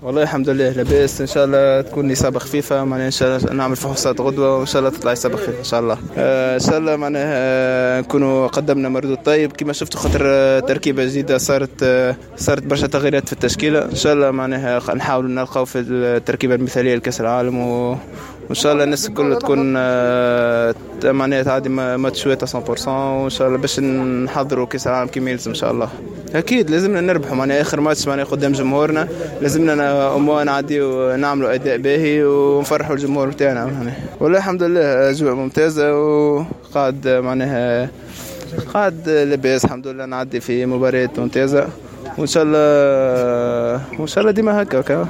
والله الحمد لله لاباس، ان شاء الله تكون اصابه خفيفه، معناها ان شاء الله نعمل فحوصات غدوه وان شاء الله تطلع اصابه خفيفة ان شاء الله. ان شاء الله معناها نكونوا قدمنا مردود طيب كما شفتوا، خاطر تركيبه جديدة صارت برشا تغييرات في التشكيله. ان شاء الله معناها نحاولوا نلقاو في التركيبة المثالية لكاس العالم، وان شاء الله الناس الكل تكون معناها تعدي ماتشوات 100%، وان شاء الله باش نحضروا كاس العالم كما يلزم ان شاء الله. اكيد لازمنا نربحوا، معناها اخر ماتش معناها قدام جمهورنا، لازمنا au moins نعديو نعملوا اداء باهي ونفرحوا الجمهور بتاعنا معناها. والله الحمد لله اجواء ممتازة وقاعد معناها قاعد لاباس الحمد لله، نعدي في مباريات ممتازة وان شاء الله ديما هكا.